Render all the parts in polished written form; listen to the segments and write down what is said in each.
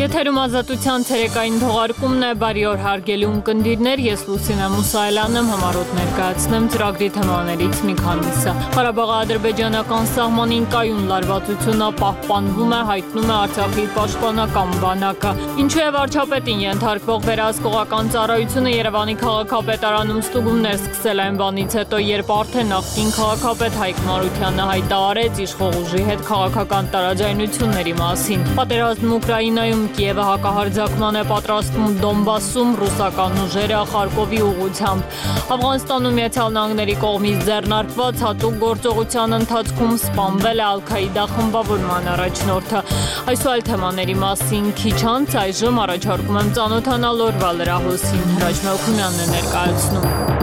Եթերում ազատության ցերեկային թողարկումն է, բարի օր հարգելի ունկնդիրներ, ես Լուսինե Մուսայելյանն եմ, համառոտ ներկայացնեմ ծրագրի թեմաներից մի քանիսը։ Ղարաբաղի-ադրբեջանական սահմանին կայուն լարվածությունը պահպանվում է, հայտնում է Արցախի պաշտպանական բանակը։ Ինչու է վարչապետին ենթարկվող վերահսկողական ծառայությունը Երևանի քաղաքապետարանում ստուգումներ սկսել այն բանից հետո, երբ արդեն նախկին քաղաքապետ Հայկ Մարությանը հայտարարեց իշխող ուժի հետ քաղաքական տարաձայնությունների մասին։ Պատերազմն Ուկրաինայում Կիևը հակահարձակման է պատրաստվում Դոնբասում ռուսական ուժերը Խարկովի ուղղությամբ։ Աֆղանստանում Միացյալ Նահանգների կողմից ձեռնարկված հատուկ գործողության ընթացքում սպանվել է Ալ-Քաիդա խմբավորման առաջնորդը։ Այս ու այլ թեմաների մասին քիչ անց այժմ առաջարկում եմ ծանոթանալ օրվա լրահոսին։ Հրաչ Մելքումյանն է ներկայացնում։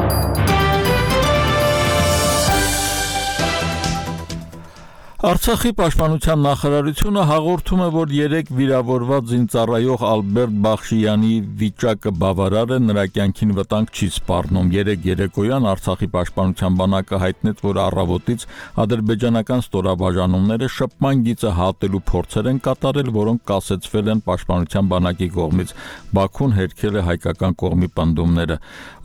Արցախի պաշտպանության նախարարությունը հաղորդում է, որ 3 վիրավորված զինծառայող Ալբերտ Բախշյանի վիճակը բավարար է, նրա կյանքին վտանգ չի սպառնում։ Երեկոյան Արցախի պաշտպանության բանակը հայտնեց, որ առավոտից ադրբեջանական ստորաբաժանումները շփման գիծը հատելու փորձեր են կատարել, որոնք կասեցվել են պաշտպանության բանակի կողմից։ Բաքուն հերքել է հայկական կողմի պնդումները։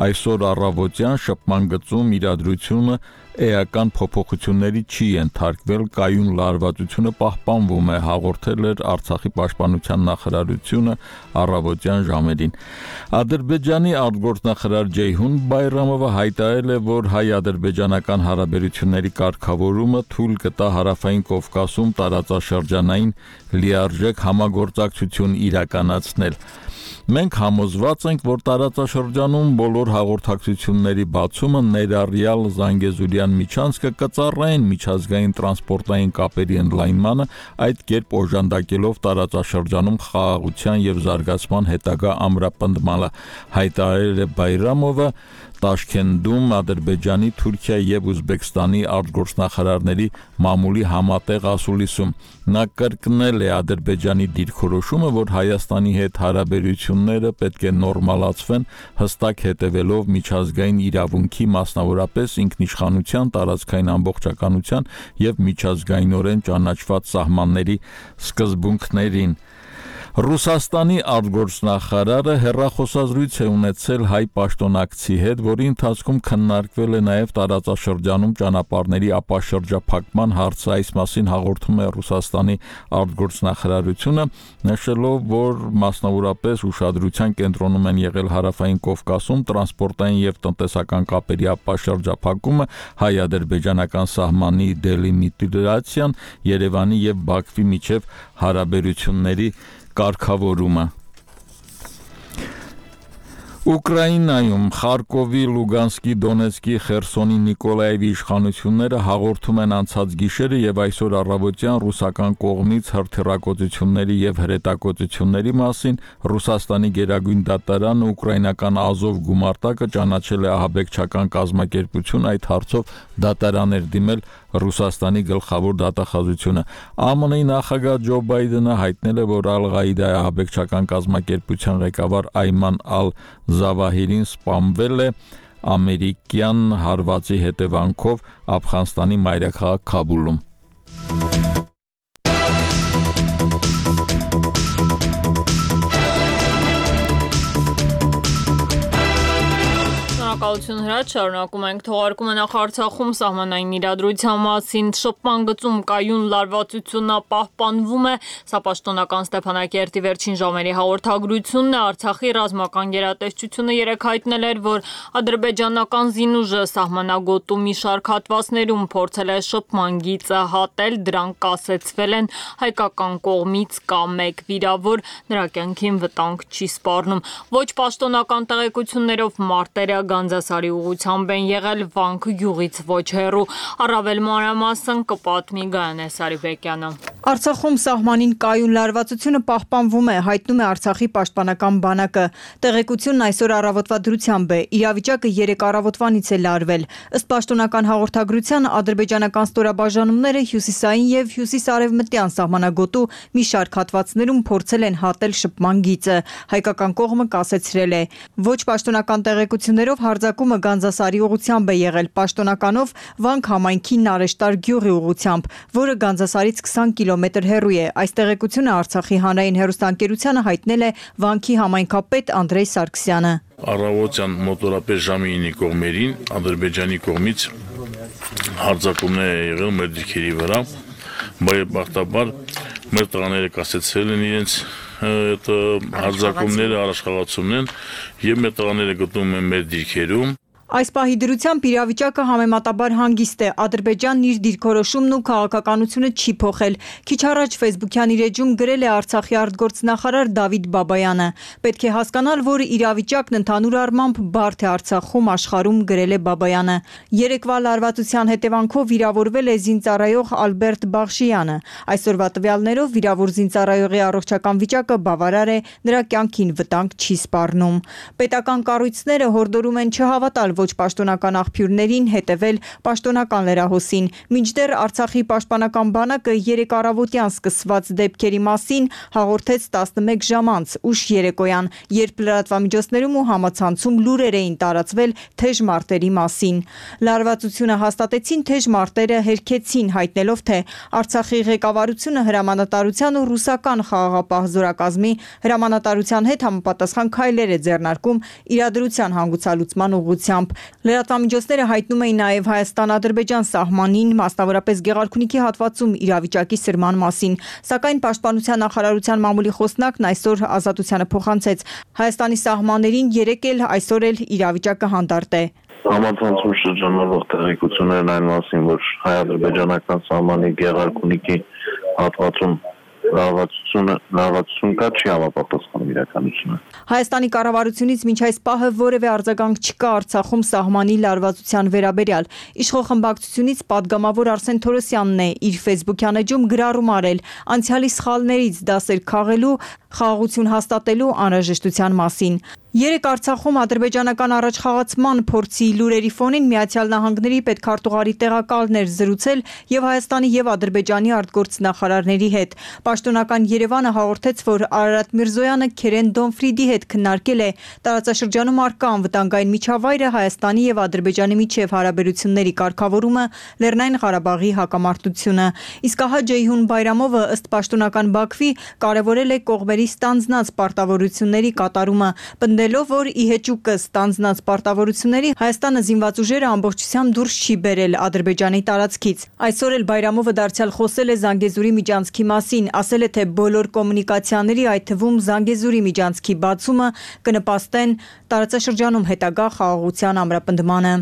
Այսօր առավոտյան շփման գծում իրադրությունը էական փոփոխությունների չի ենթարկվել, կայուն լարվածությունը պահպանվում է, հաղորդել էր Արցախի պաշտպանության նախարարությունը առավոտյան ժամերին։ Ադրբեջանի արտգործնախարար Ջեյհուն Բայրամովը հայտարարել է, որ հայ-ադրբեջանական հարաբերությունների կարգավորումը թույլ կտա Հարավային Կովկասում տարածաշրջանային լիարժեք համագործակցություն իրականացնել։ Մենք համոզված ենք, որ տարածաշրջանում բոլոր հաղորդակցությունների բացումը ներառյալ Զանգեզուրյան միջանցքը կծառայեն միջազգային տրանսպորտային կապերի ընդլայնմանը, այդ կերպ օժանդակելով տարածաշրջանում խաղաղության և զարգացման հետագա ամրապնդմանը, հայտարարել է Բայրամովը Տաշքենդում Ադրբեջանի, Թուրքիայի և Ուզբեկստանի արտգործնախարարների մամուլի համատեղ ասուլիսում։ Նա կրկնել է Ադրբեջանի դիրքորոշումը, որ Հայաստանի հետ հարաբերությունները պետք է նորմալացվեն, հստակ հետևելով միջազգային իրավունքի, մասնավորապես ինքնիշխանության, տարածքային ամբողջականության և միջազգայինորեն ճանաչված սահմանների սկզբունքներին։ Ռուսաստանի արտգործնախարարը հեռախոսազրույց է ունեցել հայ պաշտոնակցի հետ, որի ընթացքում քննարկվել է նաև տարածաշրջանում ճանապարհների ապաշրջափակման հարցը։ Այս մասին հաղորդում է Ռուսաստանի արտգործնախարարությունը, նշելով, որ մասնավորապես ուշադրության կենտրոնում են եղել Հարավային Կովկասում տրանսպորտային և տնտեսական կապերի ապաշրջափակումը, հայ-ադրբեջանական սահմանի դելիմիտացիան, Երևանի և Բաքվի միջև հարաբերությունների կարգավորումը։ Ուկրաինայում Խարկովի, Լուգանսկի, Դոնեցկի, Խերսոնի, Նիկոլաևի իշխանությունները հաղորդում են անցած գիշերը և այսօր առավոտյան ռուսական կողմից հրթիռակոծությունների և հրետակոծությունների մասին։ Ռուսաստանի գերագույն դատարանը ուկրաինական Ազով գումարտակը ճանաչել է ահաբեկչական կազմակերպություն, այդ հարցով դատարան էր դիմել Ռուսաստանի գլխավոր դատախազությունը։ ԱՄՆ-ի նախագահ Ջո Բայդենը հայտնել է, որ Ալ-Ղաիդայի ահաբեկչական կազմակերպության ղեկավար Այման Ալ-Զավահիրին սպանվել է ամերիկյան հարվածի հետևանքով Աֆղանստանի մայրաքաղաք Քաբուլում։ Շնորհակալություն Հրաչ, շարունակում ենք թողարկումը նախ Արցախում սահմանային իրադրության մասին շփման գծում կայուն լարվածությունը պահպանվում է, սա պաշտոնական Ստեփանակերտի վերջին ժամերի հաղորդագրությունն է, Արցախի ռազմական գերատեսչությունը երեկ հայտնել էր, որ ադրբեջանական զինուժը սահմանագոտու մի շարք հատվածներում փորձել է շփման գիծը հատել, դրանք կասեցվել են, հայկական կողմից կա 1 վիրավոր, նրա կյանքին վտանգ չի սպառնում։ Ոչ պաշտոնական տեղեկություններով մարտերը Գանձասարի ուղղությամբ են եղել Վանք գյուղից ոչ հեռու։ Առավել մանրամասն կպատմի Գայանե Սարիբեկյանը։ Արցախում սահմանին կայուն լարվածությունը պահպանվում է, հայտնում է Արցախի պաշտպանական բանակը։ Տեղեկությունն այսօր առավոտվա դրությամբ է։ Իրավիճակը 3 առավոտվանից է լարվել։ Ըստ պաշտոնական հաղորդագրության, ադրբեջանական ստորաբաժանումները հյուսիսային և հյուսիս-արևմտյան սահմանագոտու մի շարք հատվածներում փորձել են հատել շփման գիծը։ Հայկական կողմը կասեցրել է։ Ոչ պաշտոնական տեղեկություններով հարձակումը Գանձասարի ուղղությամբ է եղել, պաշտոնականով Վանք համայնքի Նարեշտար գյուղի ուղղությամբ, որը Գանձասարից 20 կիլոմետր հեռու է։ Այս տեղեկությունը Արցախի հանրային հեռուստաընկերությանը հայտնել է Վանքի համայնքապետ Անդրեյ Սարգսյանը։ Առավոտյան մոտորապես ժամի 9-ի կողմերին Ադրբեջանի կողմից հարձակումներ է եղել մեր դիրքերի վրա, բարեբախտաբար մեր տղաները կասեցրել են իրենց հարձակումները, առաջխաղացումներն եւ մեր տղաները գտնվում են մեր դիրքերում։ Այս պահի դրությամբ իրավիճակը համեմատաբար հանգիստ է։ Ադրբեջանն իր դիրքորոշումն ու քաղաքականությունը չի փոխել։ Քիչ առաջ Facebook-յան իր էջում գրել է Արցախի արտգործնախարար Դավիթ Բաբայանը։ Պետք է հասկանալ, որ իրավիճակն ընդհանուր առմամբ բարդ է Արցախում, աշխարհում, գրել է Բաբայանը։ Երեկվա լարվածության հետևանքով վիրավորվել է զինծառայող Ալբերտ Բախշյանը։ Այսօրվա տվյալներով վիրավոր զինծառայողի առողջական վիճակը բավարար է, նրա կյանքին վտանգ չի սպառնում։ Պետական կառույցները հորդորում են չհավատալ ոչ պաշտոնական աղբյուրներին, հետևել պաշտոնական լրահոսին։ Մինչդեռ Արցախի պաշտպանական բանակը երեկ առավոտյան սկսված դեպքերի մասին հաղորդեց 11 ժամ անց ուշ երեկոյան, երբ լրատվամիջոցներում ու համացանցում լուրեր էին տարածվել թեժ մարտերի մասին։ Լարվածությունը հաստատեցին թեժ մարտերը հերքեցին, հայտնելով, թե Արցախի ղեկավարությունը հրամանատարության ու ռուսական խաղաղապահ զորակազմի հրամանատարության հետ համապատասխան քայլեր է ձեռնարկում իրադրության հանգուցալուծման ուղղությամբ։ Լրատվամիջոցները հայտնում էին նաև Հայաստան-Ադրբեջան սահմանին, մասնավորապես Գեղարքունիքի հատվածում իրավիճակի սրման մասին, սակայն Պաշտպանության նախարարության մամուլի խոսնակն այսօր Ազատությանը փոխանցեց. Հայաստանի սահմաններին երեկ էլ այսօր էլ իրավիճակը հանդարտ է։ Համացանցում շրջանառվող տեղեկություններն այն մասին, որ հայ-ադրբեջանական սահմանի Գեղարքունիքի հատվածում լարվածություն կա, չի համապատասխանում իրականությունը։ Հայաստանի կառավարությունից մինչ այս պահը որևէ արձագանք չկա Արցախում սահմանի լարվածության վերաբերյալ։ Իշխող խմբակցությունից падգամավոր Արսեն Թորոսյանն է իր Facebook-յան էջում գրառում արել անցյալի սխալներից դասեր քաղելու, խաղաղություն հաստատելու անհրաժեշտության մասին։ Երեկ Արցախում ադրբեջանական առաջխաղացման փորձի լուրերի ֆոնին Միացյալ Նահանգների պետքարտուղարի տեղակալն էր զրուցել եւ Հայաստանի եւ Ադրբեջանի արտգործնախարարների հետ։ Պաշտոնական Երևանը հաղորդեց, որ Արարատ Միրզոյանը Քերեն Դոնֆրիդի հետ քննարկել է տարածաշրջանում առկա անվտանգային միջավայրը, Հայաստանի եւ Ադրբեջանի միջև հարաբերությունների կարգավորումը, Լեռնային Ղարաբաղի հակամարտությունը։ Իսկ ահա Ջեյհուն Բայրամովը ըստ պաշտոնական Բաքվի կարևորել է կողմերի ստանձնած պարտավորությունների կատարումը, պնդելով, որ ի հեճուկը ստանձնած պարտավորությունների Հայաստանը զինված ուժերը ամբողջությամբ դուրս չի բերել Ադրբեջանի տարածքից։ Այսօր էլ Բայրամովը դարձյալ խոսել է Զանգեզուրի միջանցքի մասին, ասել է, թե բոլոր կոմունիկացիաների, այդ թվում Զանգեզուրի միջանցքի բացումը կնպաստեն տարածաշրջանում հետագա խաղաղության ամրապնդմանը։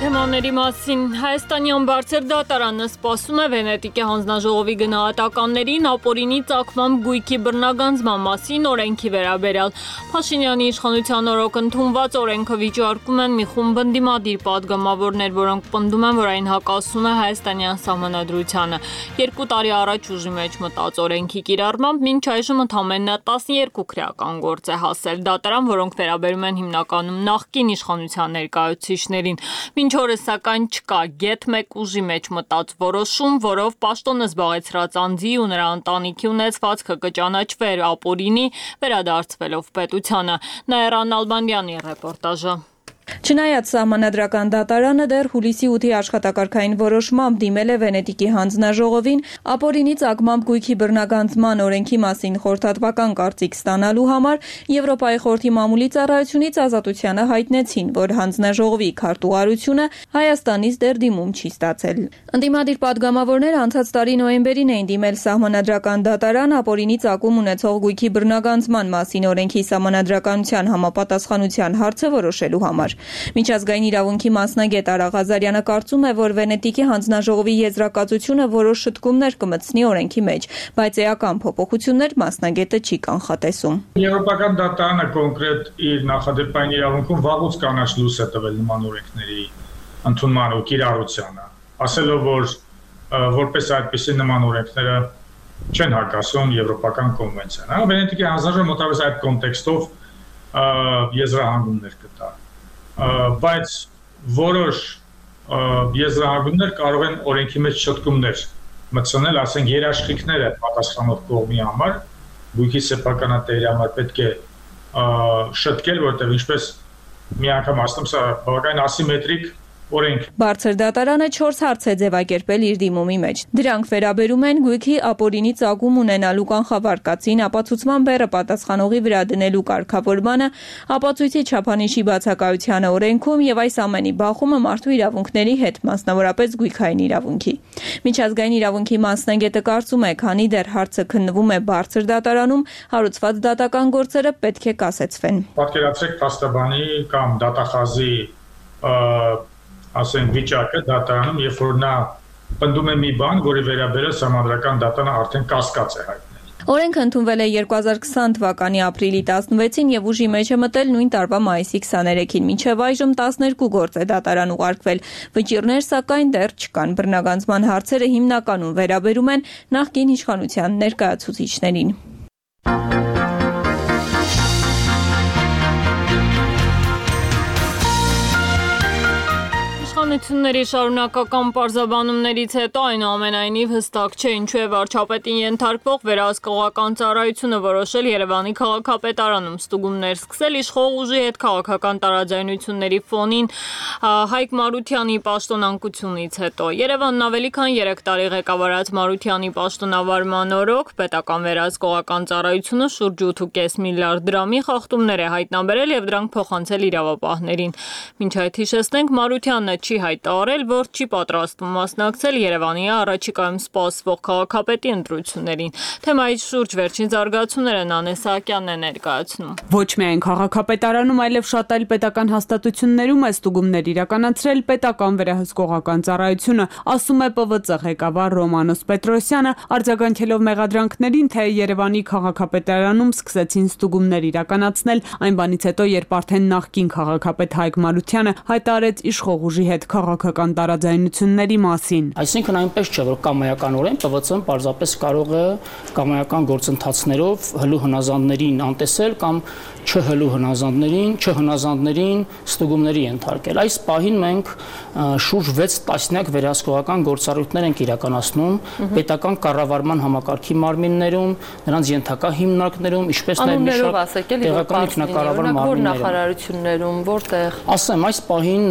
Թեմաների մասին Հայաստանյան բարձր դատարանը սպասում է Վենետիկի հանձնաժողովի գնահատականներին ապօրինի ծագմամբ գույքի բռնագանձման մասին օրենքի վերաբերյալ։ Փաշինյանի իշխանության օրոք ընդունված օրենքը վիճարկում են մի խումբ ընդդիմադիր падգամավորներ, որոնք պնդում են, որ այն հակասում է հայաստանյան սահմանադրությանը։ 2 տարի առաջ ուժի մեջ մտած օրենքի կիրառմամբ մինչ այժմ ընդամենը 12 քրեական գործ է հասել դատարան, որոնք վերաբերում են հիմնականում նախկին իշխանության ներկայացուցիչներին։ Մինչ օրս սակայն չկա գեթ մեկ ուժի մեջ մտած որոշում, որով պաշտոնը զբաղեցրած անձի ու նրա ընտանիքի ունեցվածքը կճանաչվեր ապօրինի, վերադարձվելով պետությանը։ Նաիրան Ալբանդյանի ռեպորտաժը։ Չնայած սահմանադրական դատարանը դեռ հուլիսի 8-ի աշխատակարգային որոշմամբ դիմել է Վենետիկի հանձնաժողովին ապօրինի ծագմամբ գույքի բռնագանձման օրենքի մասին խորհրդատվական կարծիք ստանալու համար, Եվրոպայի խորհրդի մամուլի ծառայությունից Ազատությանը հայտնեցին, որ հանձնաժողովի քարտուղարությունը Հայաստանից դեռ դիմում չի ստացել։ Ընդդիմադիր падգամավորները անցած տարի նոյեմբերին էին դիմել սահմանադրական դատարան ապօրինի ծագում ունեցող գույքի բռնագանձման մասին օրենքի սահմանադրականության համապատասխանության հարցը որոշելու համար։ Միջազգային իրավունքի մասնագետ Արա Ղազարյանը կարծում է, որ Վենետիկի հանձնաժողովի եզրակացությունը որոշ շտկումներ կմտցնի օրենքի մեջ, բայց էական փոփոխություններ մասնագետը չի կանխատեսում։ Եվրոպական դատարանը կոնկրետ իր նախադեպային իրավունքում վաղուց կանաչ լույս է տվել նման օրենքների ընդունման ու կիրառությանը, ասելով, որ որպես այդպիսի նման օրենքները չեն հակասում Եվրոպական կոնվենցիան։ Վենետիկի հանձնաժողովը մոտավորապես այդ կոնտեքստով եզրահանգումներ կտա, բայց որոշ եզրահանգումներ կարող են օրենքի մեջ շտկումներ մտցնել, ասենք երաշխիքները պատասխանող կողմի համար, գույքի սեփականատերի համար պետք է շտկել, որտեղ ինչպես միանգամ ասում սա բավական ասիմետրիկ օրենք։ Բարձր դատարանը 4 հարց է ձևակերպել իր դիմումի մեջ։ Դրանք վերաբերում են գույքի ապօրինի ծագում ունենալու կանխավարկածին, ապացուցման բեռը պատասխանողի վրա դնելու կարգավորմանը, ապացույցի չափանիշի բացակայությանը օրենքում եւ այս ամենի բախումը մարդու իրավունքների հետ, մասնավորապես գույքային իրավունքի։ Միջազգային իրավունքի մասնագետը կարծում է, քանի դեռ հարցը քննվում է բարձր դատարանում, հարուցված դատական գործերը պետք է կասեցվեն։ Պատկերացրեք փաստաբանի կամ դատախազի ասենք վիճակը դատարանում, երբ որ նա պնդում է մի բան, որի վերաբերյալ սահմանադրական դատանը արդեն կասկած է հայտնել։ Օրենքը ընդունվել է 2020 թվականի ապրիլի 16-ին եւ ուժի մեջ է մտել նույն տարվա մայիսի 23-ին։ Մինչեւ այժմ 12 գործ է դատարան ուղարկվել։ Վճիռներ սակայն դեռ չկան։ Բռնագանձման հարցերը հիմնականում վերաբերում են նախկին իշխանության ներկայացուցիչներին։ Իշխանությունների շարունակական պարզաբանումներից հետո այնուամենայնիվ հստակ չէ ինչու է վարչապետին ենթարկվող վերահսկողական ծառայությունը որոշել Երևանի քաղաքապետարանում ստուգումներ սկսել իշխող ուժի հետ քաղաքական տարաձայնությունների ֆոնին Հայկ Մարությանի պաշտոնանկությունից հետո։ Երևանն ավելի քան 3 տարի ղեկավարած Մարությանի պաշտոնավարման օրոք պետական վերահսկողական ծառայությունը շուրջ 8.5 միլիարդ դրամի խախտումներ է հայտնաբերել եւ դրանք փոխանցել իրավապահներին։ Մինչ այդ հիշեցնենք Մարությանն չի հայտարարել, որ չի պատրաստվում մասնակցել Երևանի առաջիկայում սպասվող քաղաքապետի ընտրություններին։ Թեմայի շուրջ վերջին զարգացումները Նանե Սահակյանն է ներկայացնում։ Ոչ միայն քաղաքապետարանում, այլև շատ այլ պետական հաստատություններում է ստուգումներ իրականացրել պետական վերահսկողական ծառայությունը, ասում է ՊՎԾ ղեկավար Ռոմանոս Պետրոսյանը, արձագանքելով մեղադրանքներին, թե Երևանի քաղաքապետարանում սկսեցին ստուգումներ իրականացնել այն բանից հետո, երբ արդեն նախկին քաղաքապետ Հայկ Մարությանը հայտարարեց իշխող ուժի հետ քաղաքական տարաձայնությունների մասին։ Այսինքն այնպես չէ, որ կամայականորեն ՊՎՑ-ն պարզապես կարող է կամայական գործընթացներով հլու հնազանդներին անտեսել կամ չհլու հնազանդներին ստուգումների ենթարկել։ Այս պահին մենք շուրջ 6 տասնյակ վերահսկողական գործառույթներ ենք իրականացնում պետական կառավարման համակարգի մարմիններում, նրանց ենթակա հիմնարկներում, ինչպես նաև մի շարք տեղական ինքնակառավարման մարմիններում։ Նախարարություններում, որտեղ։ Ասեմ, այս պահին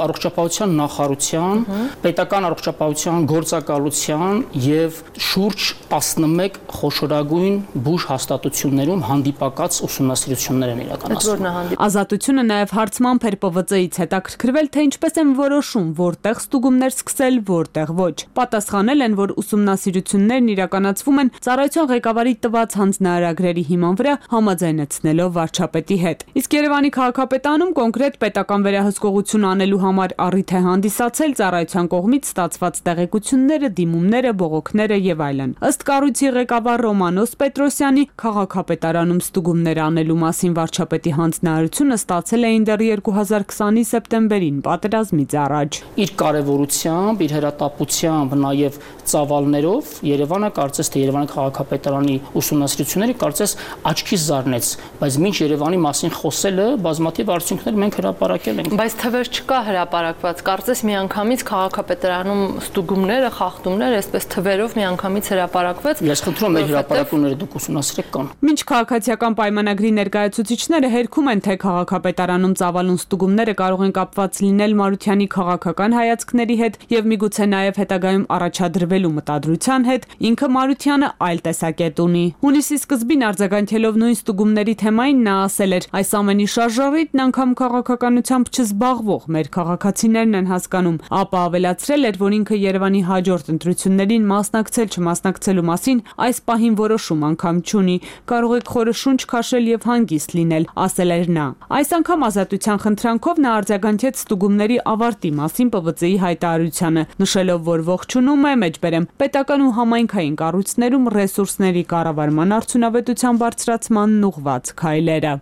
առողջապահության նախարարության, պետական առողջապահության գործակալության եւ շուրջ 11 խոշորագույն բուժ հաստատություններում հանդիպակաց ուսումնասիրություններ են իրականացվում։ Ազատությունը նաև հարցմամբ էր ՊՎԾ-ից հետաքրքրվել, թե ինչպես են որոշում, որտեղ ստուգումներ սկսել, որտեղ ոչ։ Պատասխանել են, որ ուսումնասիրություններն իրականացվում են ծառայության ղեկավարի տված հանձնարարագրերի հիման վրա համաձայնեցնելով վարչապետի հետ։ Իսկ Երևանի քաղաքապետարանում կոնկրետ պետական վերահսկողություն անելու համար առիթ է հանդիսացել ծառայության կողմից ստացված տեղեկությունները, դիմումները, բողոքները եւ այլն։ Ըստ կառույցի ղեկավար Ռոմանոս Պետրոսյանի, քաղաքապետարանում ստուգումներ անելու մասին վարչապետի հանձնարարությունը ստացել էին դեռ 2020-ի սեպտեմբերին, պատերազմից առաջ։ Իր կարևորությամբ, իր հրատապությամբ, նաեւ ծավալներով Երևանը կարծես թե Երևանի քաղաքապետարանի ուսումնասիրությունները կարծես աչքից զարնեց, բայց մինչ Երևանի մասին խոսելը բազմաթիվ արդյունքներ մենք հրապարակել ենք։ Բայց թվեր չկա հրապարակված, կարծես միանգամից քաղաքապետարանում ստուգումները, խախտումները, այսպես թվերով միանգամից հրապարակվեց։ Ես խնդրում եմ մեր հրապարակումները դուք ուսումնասիրեք կան։ Մինչ քաղաքացիական պայմանագրի ներկայացուցիչները հերքում են, թե քաղաքապետարանում ծավալուն ստուգումները կարող են կապված լինել Մարությանի քաղաքական հայացքների հետ եւ միգուցե նաեւ հետագայում առաջադրվելու մտադրության հետ, ինքը Մարությանը այլ տեսակետ ունի։ Հունիսի սկզբին արձագանքելով նույն ստուգումների թեմային նա ասել էր. այս ամենի շարժառիթն անգամ քաղաքականությամբ չզբաղվող մեր քաղաքացիներն են հասկանում, ապա ավելացրել էր, որ ինքը Երևանի հաջորդ ընտրություններին մասնակցել չմասնակցելու մասին այս պահին որոշում անգամ չունի, կարող եք խորը շունչ քաշել եւ հանգիստ լինել, ասել էր նա։ Այս անգամ ազատության խնդրանքով նա արձագանքեց ստուգումների ավարտի մասին ՊՎԾ-ի հայտարարությանը, նշելով, որ ողջունում է մեջբերեմ պետական ու համայնքային կառույցներում ռեսուրսների կառավարման արդյունավետության բարձրացմանն ուղղված քայլերը։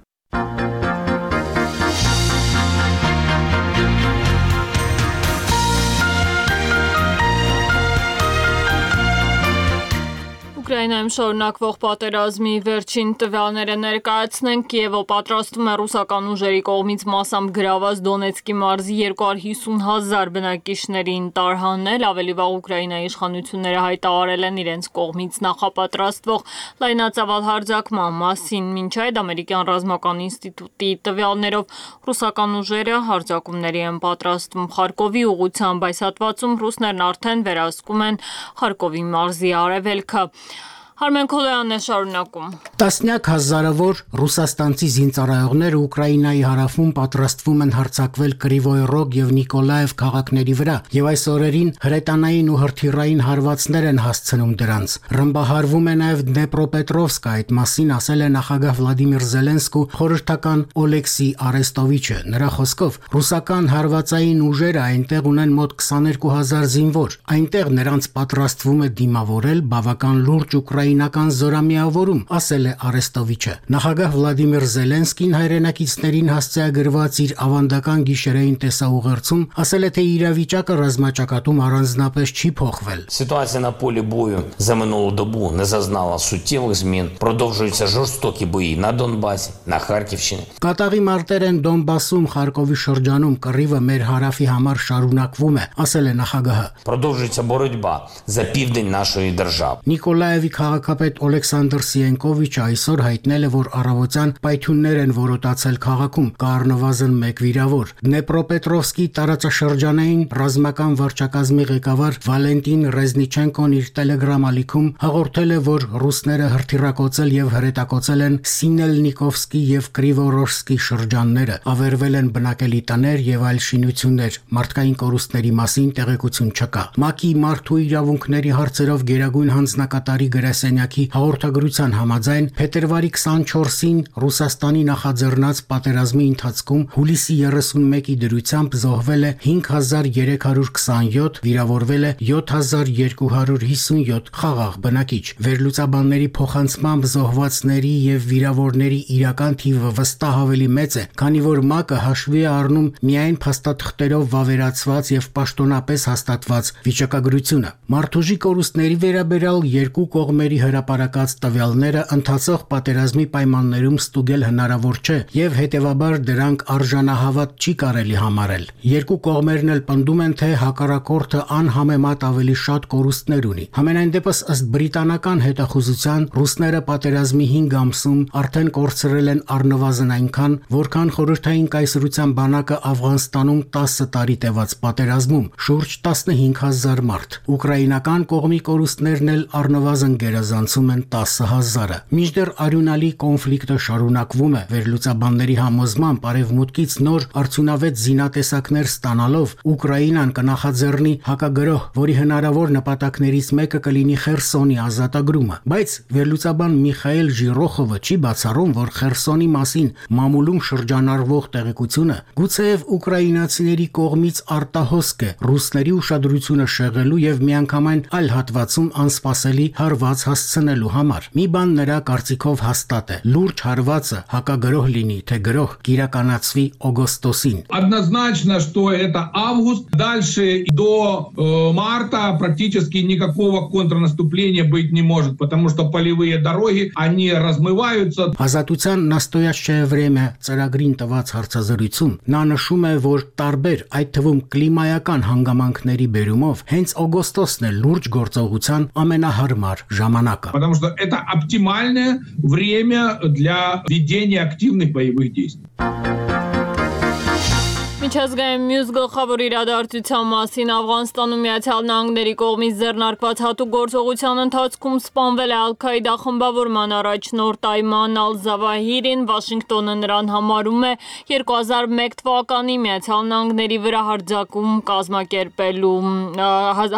Ուկրաինայում Գազայում շարունակվող պատերազմի վերջին տվյալները ներկայացնենք։ Կիևը պատրաստվում է ռուսական ուժերի կողմից մասամբ գրաված Դոնեցկի մարզի 250,000 բնակիչներին տարհանել։ Ավելի վաղ Ուկրաինայի իշխանությունները հայտարարել են իրենց կողմից նախապատրաստվող լայնածավալ հարձակման մասին։ Մինչ այդ ամերիկյան ռազմական ինստիտուտի տվյալներով ռուսական ուժերը հարձակումների են պատրաստվում Խարկովի ուղղությամբ, այս հատվածում ռուսներն արդեն վերահսկում են Խարկովի մարզի արևելքը։ Արմեն Քոլոյանն է շարունակում։ Տասնյակ հազարավոր ռուսաստանցի զինծառայողներ Ուկրաինայի հարավում պատրաստվում են հարձակվել Կրիվոյ Ռոգ եւ Նիկոլաև քաղաքների վրա, եւ այս օրերին հրետանային ու հրթիռային հարվածներ են հասցնում դրանց։ Ռմբահարվում է նաեւ Դնեպրոպետրովսկը, այդ մասին ասել է նախագահ Վլադիմիր Զելենսկու խորհրդական Օլեքսի Արեստովիչը։ Նրա խոսքով ռուսական հարվածային ուժերը այնտեղ ունեն մոտ 22,000 զինվոր։ Այնտեղ նրանց պատրաստվում է դիմավորել բավական լուրջ ուկրաինական զորամիավորում, ասել է Արեստովիչը։ Նախագահ Վլադիմիր Զելենսկին հայրենակիցներին հասցեագրված իր ավանդական գիշերային տեսաուղերձում ասել է, թե իրավիճակը ռազմաճակատում առանձնապես չի փոխվել։ Ситуація на полі бою за минулу добу не зазнала суттєвих змін. Продовжуються жорстокі бої на Донбасі, на Харківщині. Կատաղի մարտեր են Դոնբասում, Խարկովի շրջանում, կռիվը մեր հարավի համար շարունակվում է, ասել է նախագահը։ Продовжується боротьба за південь нашої держави. Նիկոլաևի քաղաքապետ Օլեքսանդր Սիենկովիչը այսօր հայտնել է, որ առավոտյան պայթյուններ են որոտացել քաղաքում, կա առնվազն 1 վիրավոր։ Դնեպրոպետրովսկի տարածաշրջանային ռազմական վարչակազմի ղեկավար Վալենտին Ռեզնիչենկոն իր Telegram ալիքում հաղորդել է, որ ռուսները հրթիռակոծել եւ հրետակոծել են Սինելնիկովսկի եւ Կրիվորոշսկի շրջանները, ավերվել են բնակելի տներ եւ այլ շինություններ։ Մարդկային կորուստների մասին տեղեկություն չկա։ ՄԱԿ-ի մարդու իրավունքների հարցերով գերագույն հանձնակատարի գրասենյակի հաղորդագրության համաձայն փետրվարի 24-ին Ռուսաստանի նախաձեռնած պատերազմի ընթացքում հուլիսի 31-ի դրությամբ զոհվել է 5327, վիրավորվել է 7257 խաղաղ բնակիչ։ Վերլուծաբանների փոխանցմամբ զոհվածների եւ վիրավորների իրական թիվը վստահ ավելի մեծ է, քանի որ ՄԱԿ-ը հաշվի է առնում միայն փաստաթղթերով վավերացված եւ պաշտոնապես հաստատված վիճակագրությունը։ Մարդուժի կորուստների վերաբերյալ երկու կողմերի հրապարակած տվյալները ընթացող պատերազմի պայմաններում ստուգել հնարավոր չէ եւ հետեւաբար դրանք արժանահավատ չի կարելի համարել։ Երկու կողմերն էլ պնդում են, թե հակառակորդը անհամեմատ ավելի շատ կորուստներ ունի։ Համենայն դեպս ըստ բրիտանական հետախուզության ռուսները պատերազմի 5 ամսում արդեն կորցրել են առնվազն այնքան, որքան խորհրդային կայսրության բանակը Աֆղանստանում 10 տարի տևած պատերազմում, շուրջ 15000 մարդ։ Ուկրաինական կողմի կորուստներն էլ առնվազն գերազանցում են 10,000-ը։ Մինչդեռ արյունալի կոնֆլիկտը շարունակվում է, վերլուծաբանների համոզմամբ արևմուտքից նոր արդյունավետ զինատեսակներ ստանալով Ուկրաինան կնախաձեռնի հակագրոհ, որի հնարավոր նպատակներից մեկը կլինի Խերսոնի ազատագրումը։ Բայց վերլուծաբան Միխայել Ժիրոխովը չի բացառում, որ Խերսոնի մասին մամուլում շրջանառվող տեղեկությունը գուցեև ուկրաինացիների կողմից արտահոսք է ռուսների ուշադրությունը շեղելու եւ միանգամայն այլ հատվածում անսպասելի հարված հասցնելու համար։ Մի բան նրա կարծիքով հաստատ է. լուրջ հարվածը հակագրոհ լինի, թե գրոհ կիրականացվի օգոստոսին։ Однозначно, что это август. Дальше до марта практически никакого контрнаступления быть не может, потому что полевые дороги, они размываются. Ազատության настоящее время ծրագրին տված հարցազրույցում նա նշում է, որ տարբեր, այդ թվում կլիմայական հանգամանքների բերումով հենց օգոստոսն է լուրջ գործողության ամենահարմար ժամանակը։ Потому что это оптимальное время для ведения активных боевых действий. Միջազգային մյուս գլխավոր իրադարձության մասին Աֆղանստանում Միացյալ Նահանգների կողմից ձեռնարկված հատուկ գործողության ընթացքում սպանվել է Ալ-Քաիդա խմբավորման առաջնորդ Այման Ալ-Զավահիրին, Վաշինգտոնը նրան համարում է 2001 թվականի Միացյալ Նահանգների վրա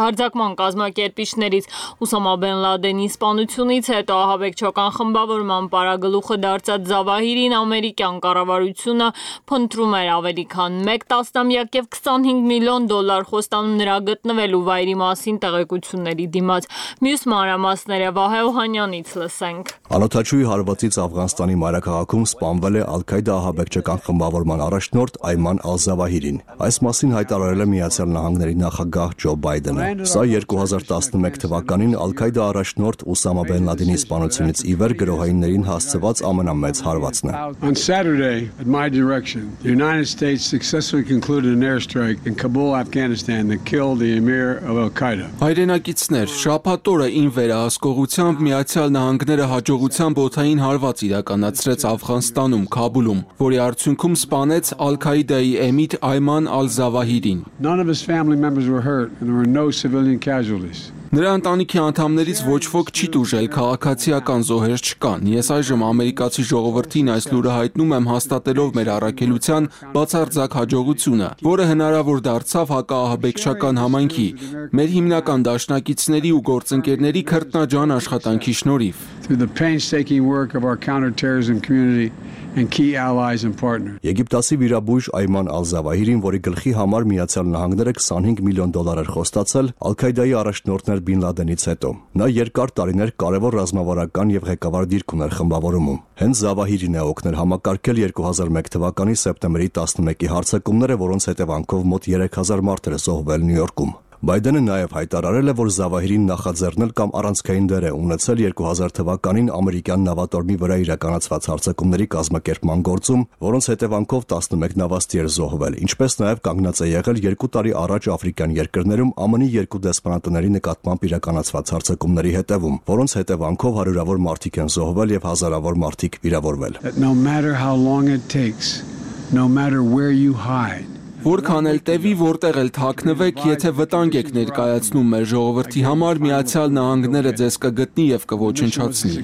հարձակման կազմակերպիչներից Ուսամա Բեն Լադենի սպանությունից հետո ահաբեկչական խմբավորման պարագլուխը դարձած Զավահիրին ամերիկյան կառավարությունը փնտրում էր ավելի քան 1 տասնամյակ եւ $25 միլիոն խոստանում նրա գտնվելու վայրի մասին տեղեկությունների դիմաց։ Մյուս մանրամասները Վահե Օհանյանից լսենք։ Անօթաչուի հարվածից Աֆղանստանի մայրաքաղաքում սպանվել է Ալ-Քայդա ահաբեկչական խմբավորման առաջնորդ Այման Ալ-Զավահիրին։ Այս մասին հայտարարել է Միացյալ Նահանգների նախագահ Ջո Բայդենը։ Սա 2011 թվականին Ալ-Քայդա առաջնորդ Ուսամա Բեն Լադենի սպանությունից ի վեր գրոհայիններին հասցված ամենամեծ հարվածն է։ On Saturday, at my direction, the United States successfully concluded an airstrike in Kabul, Afghanistan that killed the emir of Al-Qaeda. Հայրենակիցներ, շաբաթ օրը ին վերահսկողությամբ Միացյալ Նահանգները հաջողությամբ օդային հարված իրականացրեց Աֆղանստանում, Քաբուլում, որի արդյունքում սպանեց Ալ-Քայդայի էմիր Այման Ալ-Զավահիրին։ None of his family members were hurt and there were no civilian casualties. Նրա ընտանիքի անդամներից ոչ ոք չի տուժել, քաղաքացիական զոհեր չկան։ Ես այժմ ամերիկացի ժողովրդին այս լուրը հայտնում եմ հաստատելով մեր առաքելության բացարձակ հաջողությունը, որը հնարավոր դարձավ հակաահաբեկչական համայնքի, մեր հիմնական դաշնակիցների ու գործընկերների քրտնաջան աշխատանքի շնորհիվ։ Through the painstaking work of our counterterrorism community and key allies and partners. Եգիպտացի վիրաբույժ Այման Ալ-Զավահիրին, որի գլխի համար Միացյալ Նահանգները $25 միլիոն էր խոստացել Ալ-Քայդայի առաջնորդներ Բին Լադենից հետո։ Նա երկար տարիներ կարևոր ռազմավարական եւ ղեկավար դիրք ուներ խմբավորումում։ Հենց Զավահիրին է օգնել համակարգել 2001 թվականի սեպտեմբերի 11-ի հարձակումները, որոնց հետևանքով մոտ 3000 մարդ էր զոհվել Նյու Յորքում։ Բայդենը նաև հայտարարել է, որ Զավահիրին նախաձեռնել կամ առանցքային դեր է ունեցել 2000 թվականին ամերիկյան նավատորմի վրա իրականացված հարձակումների կազմակերպման գործում, որոնց հետևանքով 11 նավաստի էր զոհվել, ինչպես նաև կանգնած է եղել 2 տարի առաջ աֆրիկյան երկրներում ԱՄՆ-ի 2 դեսպանատների նկատմամբ իրականացված հարձակումների հետևում, որոնց հետևանքով հարյուրավոր մարդիկ են զոհվել եւ հազարավոր մարդիկ վիրավորվել։ No matter how long it takes, no matter where you hide. Որքան էլ տևի, որտեղ էլ թաքնվեք, եթե վտանգ եք ներկայացնում մեր ժողովրդի համար, Միացյալ Նահանգները ձեզ կգտնի եւ կոչնչացնի։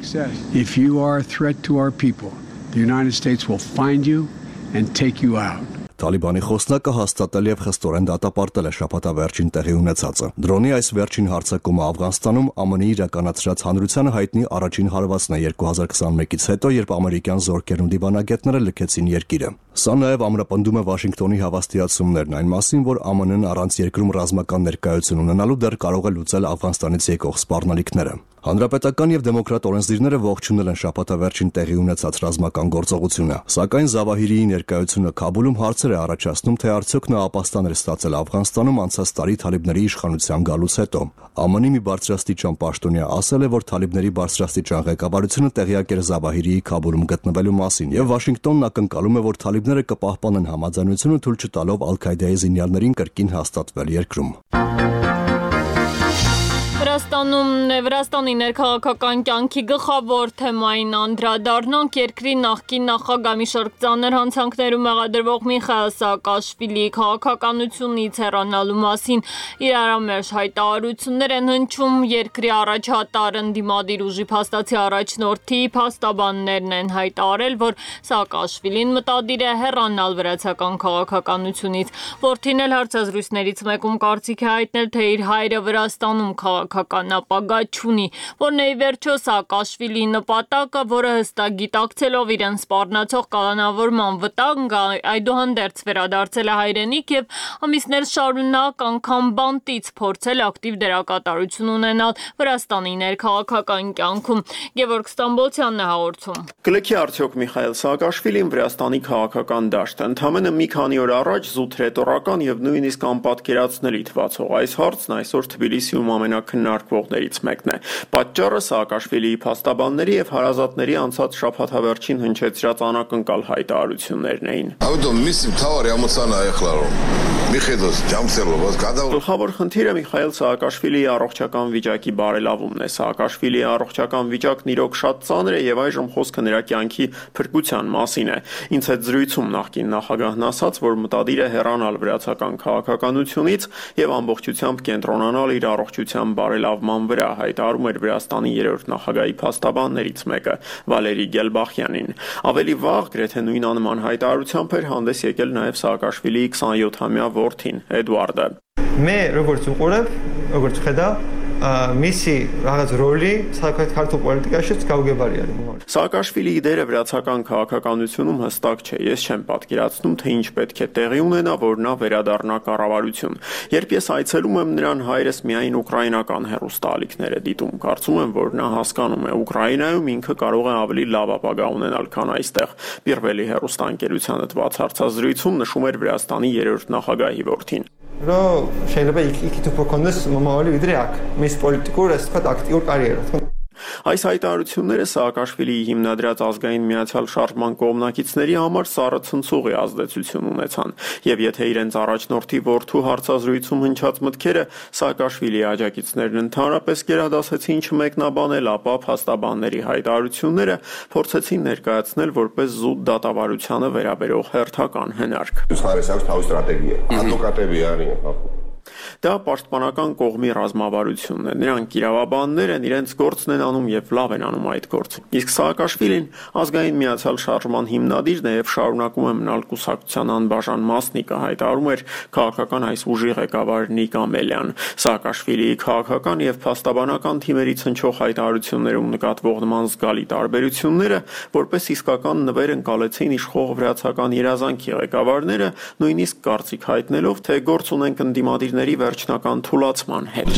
If you are a threat to our people, the United States will find you and take you out. Թալիբանի խոսնակը հաստատել եւ խստորեն դատապարտել է շաբաթավերջին տեղի ունեցածը։ Դրոնի այս վերջին հարձակումը Աֆղանստանում ԱՄՆ-ի իրականացրած հանրությանը հայտնի առաջին հարվածն է 2021-ից հետո, երբ ամերիկյան զորքերն ու դիվանագետները լքեցին երկիրը։ Սա նաև ամրապնդում է Վաշինգտոնի հավաստիացումներն այն մասին, որ ԱՄՆ-ն առանց երկրում ռազմական ներկայություն ունենալու դեռ կարող է լուծել Աֆղանստանից եկող սպառնալիքները։ Հանրապետական եւ դեմոկրատ օրենսդիրները ողջունել են շաբաթավերջին տեղի ունեցած ռազմական գործողությունը, սակայն Զավահիրիի ներկայությունը Քաբուլում հարցեր է առաջացնում, թե արդյոք նա ապաստան էր ստացել Աֆղանստանում անցած տարի թալիբների իշխանության գալուց հետո։ ԱՄՆ-ի մի բարձրաստիճան պաշտոնյա ասել է, որ թալիբների բարձրաստիճան ղեկավարությունը տեղյակ էր Զավահիրիի Քաբուլում գտնվելու մասին, եւ Վաշինգտոնն ակնկալում է, որ թալիբները կպահպանեն համաձայնությունը, թույլ չտալով Ալ-Քայդայի զինյալներին կրկին հաստատվել երկրում։ Վրաստանի ներքաղաքական կյանքի գլխավոր թեմային անդրադառնանք երկրի նախկին նախագահ մի շարք ծանր հանցանքներում մեղադրվող Միխայիլ Սաակաշվիլիի քաղաքականությունից հեռանալու մասին իրարամերժ հայտարարություններ են հնչում երկրի առաջատար ընդդիմադիր ուժի փաստացի առաջնորդի փաստաբաններն են հայտարարել, որ Սաակաշվիլին մտադիր է հեռանալ վրացական քաղաքականությունից, որդին էլ հարցազրույցներից մեկում կարծիք է հայտնել, թե իր հայրը Վրաստանում քաղաքական ապագա չունի, որն է ի վերջո Սաակաշվիլիի նպատակը, որը հստակ գիտակցելով իրեն սպառնացող կալանավորման վտանգ, այդուհանդերձ վերադարձել է հայրենիք եւ ամիսներ շարունակ անգամ բանտից փորձել ակտիվ դերակատարություն ունենալ Վրաստանի ներքաղաքական կյանքում։ Գևորգ Ստամբոլցյանն է հաղորդում։ Կլքի արդյոք Միխայիլ Սաակաշվիլին Վրաստանի քաղաքական դաշտը ընդամենը մի քանի օր առաջ զուտ ռետորական եւ նույնիսկ անպատկերացնելի թվացող այս հարցն այսօր Թբիլիսիում ամենակննարկվողներից մեկն է։ Պատճառը Սաակաշվիլիի փաստաբանների եւ հարազատների անցած շաբաթավերջին հնչեցրած անակնկալ հայտարարություններն էին։ Գլխավոր խնդիրը Միխայիլ Սաակաշվիլիի առողջական վիճակի բարելավումն է։ Սաակաշվիլիի առողջական վիճակն իրոք շատ ծանր է եւ այժմ խոսքը նրա կյանքի փրկության մասին է։ Ինձ հետ զրույցում նախկին նախագահն ասաց, որ մտադիր է հեռանալ վրացական քաղաքականությունից եւ ամբողջությամբ կենտրոնանալ իր առողջության բարելավման վրա, հայտարարում էր Վրաստանի երրորդ նախագահի փաստաբաններից մեկը Վալերի Գելբախյանին։ Ավելի վաղ գրեթե նույն անման հայտարարությամբ էր հանդես եկել նաեւ Սաակաշվիլիի 27-ամյա որդին Էդուարդը։ Մե როგორც ուղորև, როგორც ხედա მისი რაღაც როლი საქართველოს პოლიტიკაში გაუგებარი არის მომავალ. Սաակաշվիլիի դերը վրացական քաղաքականությունում հստակ չէ։ Ես չեմ պատկերացնում, թե ինչ պետք է տեղի ունենա, որ նա վերադառնա կառավարություն։ Երբ ես այցելում եմ նրան, հայրս միայն ուկրաինական հեռուստաալիքներ է դիտում։ Կարծում եմ, որ նա հասկանում է Ուկրաինայում ինքը կարող է ավելի լավ ապագա ունենալ, քան այստեղ։ Պիրվելի հեռուստաընկերությանը տված հարցազրույցում նշում էր Վրաստանի 3-րդ նախագահի որդին։ Რომ შეიძლება იქით უფრო კონდეს მომავალი ვიდრე აქ. მის პოლიტიკურ, ასე ვთქვათ, აქტიურ კარიერას. Այս հայտարարությունները Սաակաշվիլիի հիմնադրած ազգային միացյալ շարժման կողմնակիցների համար սառը ցնցուղի ազդեցություն ունեցան, եւ եթե իրենց առաջնորդի որդու հարցազրույցում հնչած մտքերը Սաակաշվիլիի աջակիցներն ընդհանրապես գերադասեցին չմեկնաբանել, ապա փաստաբանների հայտարարությունները փորձեցին ներկայացնել որպես զուտ դատավարությանը վերաբերող հերթական հնարք։ Դա պաշտպանական կողմի ռազմավարությունն է։ Նրանք իրավաբաններ են, իրենց գործն են անում եւ լավ են անում այդ գործը։ Իսկ Սաակաշվիլին ազգային միացյալ շարժման հիմնադիրն է եւ շարունակում է մնալ կուսակցության անբաժան մասնիկը, հայտարարում էր քաղաքական այս ուժի ղեկավար Նիկ Ամելյան։ Սաակաշվիլիի քաղաքական եւ փաստաբանական թիմերից հնչող հայտարարություններում նկատվող նման զգալի տարբերությունները որպես իսկական նվեր ընկալեցին իշխող վրացական երազանքի ղեկավարները, նույնիսկ կարծիք հայտնելով, թե գործ ունենք ընդդիմադիրների վերջնական թուլացման հետ։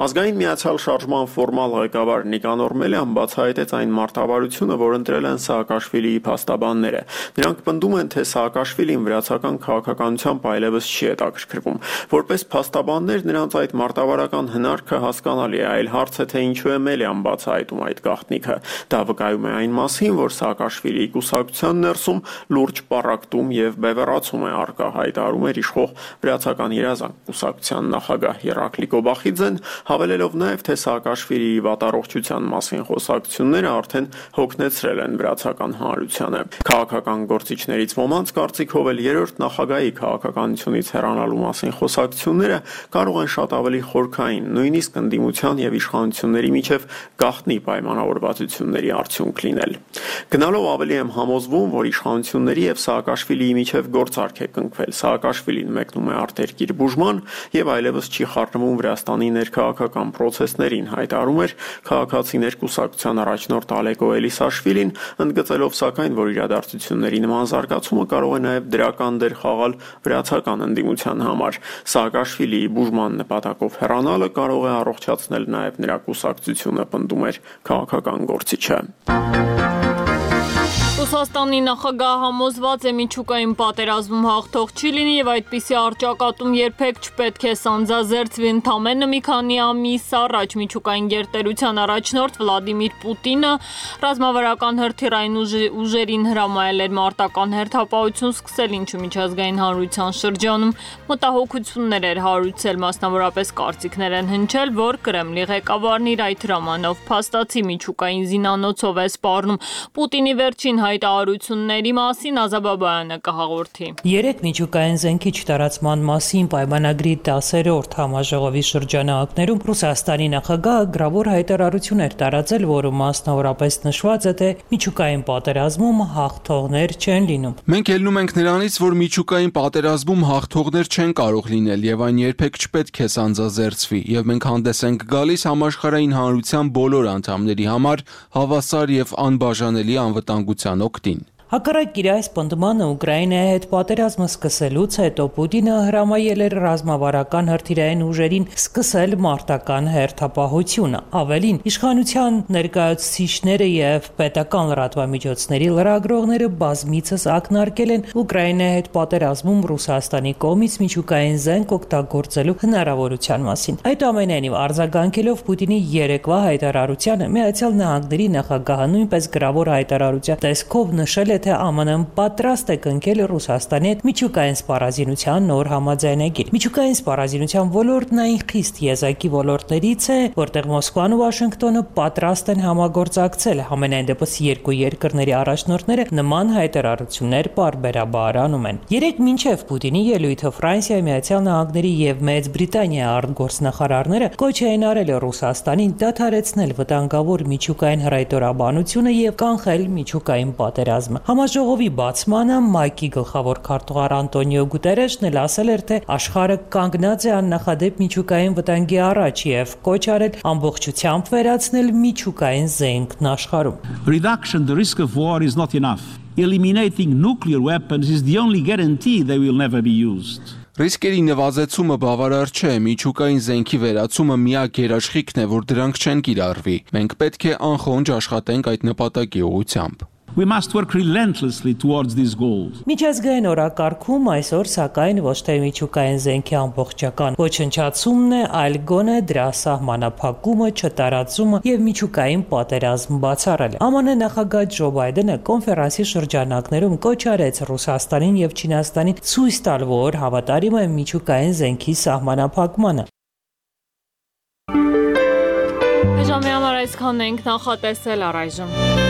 Ազգային միացյալ շարժման ֆորմալ ղեկավար Նիկանոր Մելյան բացահայտեց այն մարտավարությունը, որ ընտրել են Սաակաշվիլիի փաստաբանները։ Նրանք պնդում են, թե Սաակաշվիլին վրացական քաղաքականությամբ այլևս չի հետաքրքրվում։ Որպես փաստաբաններ նրանց այդ մարտավարական հնարքը հասկանալի է, այլ հարց է, թե ինչու է Մելյան բացահայտում այդ գաղտնիքը։ Դա վկայում է այն մասին, որ Սաակաշվիլիի կուսակցության ներսում լուրջ պառակտում եւ բևեռացում է առկա, հայտարարում էր իշխող վրացական երազանք կուսակցության նախագահ Երակլի Կոբախիձեն, հավելելով նաև, թե Սաակաշվիլիի վատառողջության մասին խոսակցությունները արդեն հոգնեցրել են վրացական հանրությանը։ Քաղաքական գործիչներից ոմանց կարծիքով էլ երրորդ նախագահի քաղաքականությունից հեռանալու մասին խոսակցությունները կարող են շատ ավելի խորքային, նույնիսկ ընդդիմության եւ իշխանությունների միջև գաղտնի պայմանավորվածությունների արդյունք լինել։ Գնալով ավելի եմ համոզվում, որ իշխանությունների եւ Սաակաշվիլիի միջև գործարք է կնքվել։ Սաակաշվիլին մեկնում է արտերկիր բուժման եւ այլևս չի խառնվում Վրաստանի ներքաղաքական պրոցեսներին, հայտարարում էր քաղաքացիներ կուսակցության առաջնորդ Ալեկո Էլիսաշվիլին, ընդգծելով սակայն, որ իրադարձությունների նման զարգացումը կարող է նաեւ դրական դեր խաղալ վրացական ընդդիմության համար։ Սաակաշվիլիի բուժման նպատակով հեռանալը կարող է առողջացնել նաեւ նրա կուսակցությունը, պնդում էր քաղաքական գործիչը։ Ռուսաստանի նախագահը համոզված է միջուկային պատերազմում հաղթող չի լինի եւ այդպիսի առճակատում երբեք չպետք է սանձազերծվի։ Ընդամենը մի քանի ամիս առաջ միջուկային գերտերության առաջնորդ Վլադիմիր Պուտինը ռազմավարական հրթիռային ուժերին հրամայել էր մարտական հերթապահություն սկսել, ինչը միջազգային հանրության շրջանում մտահոգություններ էր հարուցել, մասնավորապես կարծիքներ են հնչել, որ Կրեմլի ղեկավարն իր այդ հրամանով փաստացի միջուկային զինանոցով է սպառնում։ Պուտինի վերջին հայտարարությունների մասին Ազաբաբայանը կհաղորդի։ Երեք միջուկային զենքի չտարածման մասին պայմանագրի 10-րդ համաժողովի շրջանակներում Ռուսաստանի նախագահը գրավոր հայտարարություն էր տարածել, որում մասնավորապես նշված է, թե միջուկային պատերազմում հաղթողներ չեն լինում։ Մենք ելնում ենք նրանից, որ միջուկային պատերազմում հաղթողներ չեն կարող լինել եւ այն երբեք չպետք է սանձազերծվի, եւ մենք հանդես ենք գալիս համաշխարհային հանրության բոլոր անդամների համար հավասար եւ անբաժանելի անվտանգության օգտին։ Հակառակ իր այս պնդմանը Ուկրաինայի հետ պատերազմը սկսելուց հետո Պուտինը հրամայել էր ռազմավարական հրթիռային ուժերին սկսել մարտական հերթապահությունը։ Ավելին, իշխանության ներկայացուցիչները եւ պետական լրատվամիջոցների լրագրողները բազմիցս ակնարկել են Ուկրաինայի հետ պատերազմում Ռուսաստանի կողմից միջուկային զենք օգտագործելու հնարավորության մասին։ Այդուամենայնիվ, արձագանքելով Պուտինի երեկվա հայտարարությանը, Միացյալ Նահանգների նախագահը նույնպես գրավոր հայտարարության տեսքով նշել թե ԱՄՆ-ն պատրաստ է կնքել Ռուսաստանի հետ միջուկային սպառազինության նոր համաձայնագիր։ Միջուկային սպառազինության ոլորտն այն խիստ եզակի ոլորտներից է, որտեղ Մոսկվան ու Վաշինգտոնը պատրաստ են համագործակցել։ Համենայն դեպս երկու երկրների առաջնորդները նման հայտարարություններ պարբերաբար անում են։ Երեք մինչև Պուտինի ելույթը Ֆրանսիայի, Միացյալ Նահանգների եւ Մեծ Բրիտանիայի արտգործնախարարները կոչ էին արել Ռուսաստանին դադարեցնել վտանգավոր միջուկային հրայտորաբանությունը եւ կանխել միջուկային պատերազմը։ Համաժողովի բացմանը ՄԱԿ-ի գլխավոր քարտուղար Անտոնիո Գուտերեշն էլ ասել էր, թե աշխարհը կանգնած է աննախադեպ միջուկային վտանգի առաջ եւ կոչ արել ամբողջությամբ վերացնել միջուկային զենքն աշխարհում. Reduction the risk of war is not enough. Eliminating nuclear weapons is the only guarantee they will never be used. Ռիսկերի նվազեցումը բավարար չէ, միջուկային զենքի վերացումը միակ երաշխիքն է, որ դրանք չեն կիրառվի։ Մենք պետք է անխոնջ աշխատենք այդ նպատակի ուղղությամբ։ We must work relentlessly towards these goals. Միջազգային օրակարգում այսօր սակայն ոչ թե միջուկային զենքի ամբողջական ոչնչացումն է, այլ գոնե դրա սահմանափակումը, չտարածումը եւ միջուկային պատերազմ բացառելը։ ԱՄՆ նախագահ Ջո Բայդենը կոնֆերանսի շրջանակներում կոչ արեց Ռուսաստանին եւ Չինաստանին ցույց տալ, որ հավատարիմ է միջուկային զենքի սահմանափակմանը։ Ժամի համար այսքանն ենք նախատեսել առայժմ։